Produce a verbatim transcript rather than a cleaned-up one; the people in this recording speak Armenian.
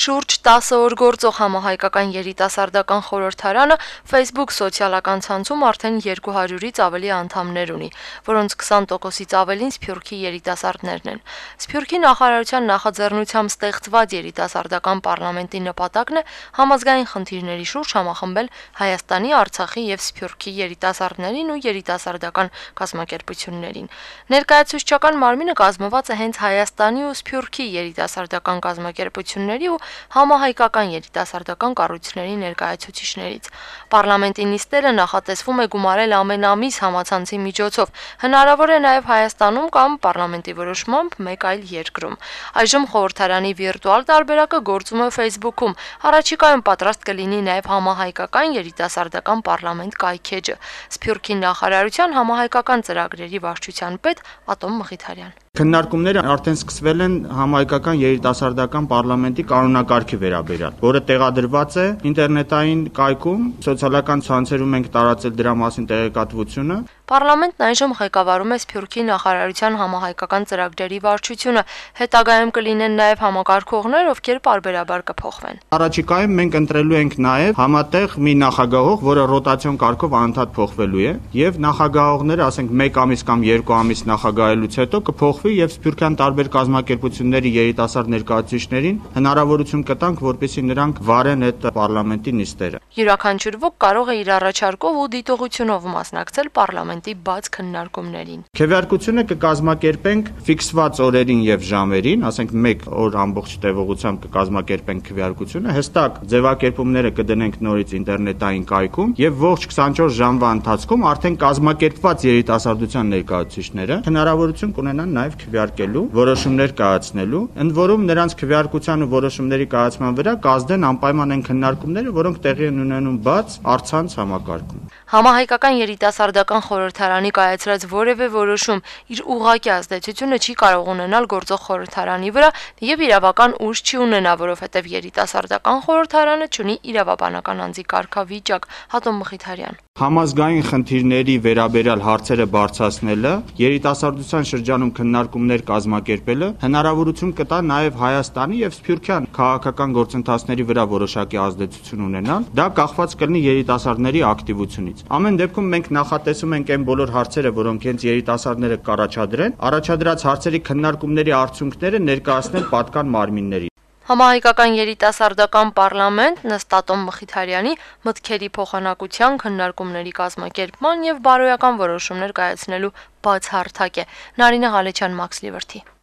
Շուրջ տասը օր գործող համահայկական երիտասարդական խորհրդարանը Facebook սոցիալական ցանցում արդեն երկու հարյուրից ավելի անդամներ ունի, որոնց քսան տոկոսից ավելին Սփյուռքի երիտասարդներն են։ Սփյուռքի նախարարության նախաձեռնությամբ ստեղծված երիտասարդական պարլամենտի նպատակն է համազգային խնդիրների շուրջ համախմբել Հայաստանի, Արցախի եւ Սփյուռքի երիտասարդներին ու երիտասարդական կազմակերպություններին։ Ներկայացուցչական մարմինը կազմված է հենց Հայաստանի ու Սփյուռքի երիտասարդական կազմակերպությունների ու համահայկական երիտասարդական կառույցների ներկայացուցիչներից։ Պարլամենտի նիստերը նախատեսվում է գումարել ամեն ամիս համացանցի միջոցով, հնարավոր է նաև Հայաստանում կամ պարլամենտի որոշմամբ մեկ այլ երկրում։ Այժմ խորհրդարանի վիրտուալ տարբերակը գործում է Facebook-ում, առաջիկայում պատրաստ կլինի նաև համահայկական երիտասարդական պարլամենտ կայքեջը։ Սփյուռքի նախարարության համահայկական ծրագրերի վարչության պետ Ատոմ Մխիթարյան։ Քննարկումները արդեն սկսվել են համահայկական երիտասարդական պարլամենտի կանոնակարգի վերաբերյալ, որը տեղադրված է ինտերնետային կայքում, սոցիալական ցանցերում ենք տարածել դրա մասին տեղեկատվությունը։ Պարլամենտն այժմ ղեկավարում է Սփյուռքի նախարարության համահայկական ծրագրերի վարչությունը, հետագայում կլինեն նաև համակարգողներ, ովքեր պարբերաբար կփոխվեն։ Առաջիկայում մենք ընտրելու ենք նաև համատեղ մի նախագահող, որը ռոտացիոն կարգով անընդհատ փոխվելու է, եւ նախագահողները, ասենք մեկ ամիս կամ երկու ամիս նախագահելուց հետո կփոխվի եւ Սփյուռքյան տարբեր կազմակերպությունների երիտասարդ ներկայացուցիչներին հնարավորություն կտանք, որպեսզի նրանք վարեն այդ պարլամենտի նիստերը։ Յուրաքանչյուր ոք կարող է իր առաջարկով ու դիտողությունով մասնակցել պարլամենտի բաց քննարկումներին։ Քվեարկությունը կկազմակերպենք ֆիքսված օրերին եւ ժամերին, ասենք մեկ օր ամբողջ տևողությամբ կկազմակերպենք քվեարկությունը, հստակ ձևակերպումները կդնենք նորից ինտերնետային կայքում եւ ողջ քսանչորս ժամվա ընթացքում արդեն կազմակերպված երիտասարդության ներկայացուցիչները հնարավորություն կունենան նաև քվեարկելու, որոշումներ կայացնելու, ընդ որում նրանց քվեարկության ու որոշումների կայացման վրա կազդեն անպայման այն քննարկումները, որոնք տեղի են ունենում բաց առցանց համակարգում։ Համահայկական երիտասարդական խորհրդարանի կայացրած որևէ որոշում իր ուղղակի ազդեցությունը չի կարող ունենալ գործող խորհրդարանի վրա եւ իրավական ուժ չի ունենա, որովհետեւ երիտասարդական խորհրդարանը չունի իրավաբանական անձի կարգավիճակ։ Ատոմ Մխիթարյան։ Համազգային խնդիրների վերաբերյալ հարցերը բարձրացնելը, երիտասարդության շրջանում քննարկումներ կազմակերպելը հնարավորություն կտա նաև Հայաստանի եւ Սփյուռքյան քաղաքական գործընթացների վրա որոշակի ազդեցություն ունենալ։ Դա կախված կլինի երիտասարդների ակտիվությունից։ Ամեն դեպքում մենք նախատեսում ենք այն բոլոր հարցերը, որոնք հենց երիտասարդները կառաջադրեն, առաջադրած հարցերի քննարկումների արդյունքները ներկայացնել պատկան մարմինների։ Համահայկական երիտասարդական պարլամենտ ըստ Ատոմ Մխիթարյանի մտքերի փոխանակության, քննարկումների կազմակերպման եւ բարոյական որոշումներ կայացնելու բաց հարթակ է։ Նարինե Ղալեչյան, Մաքս Լիվրթի։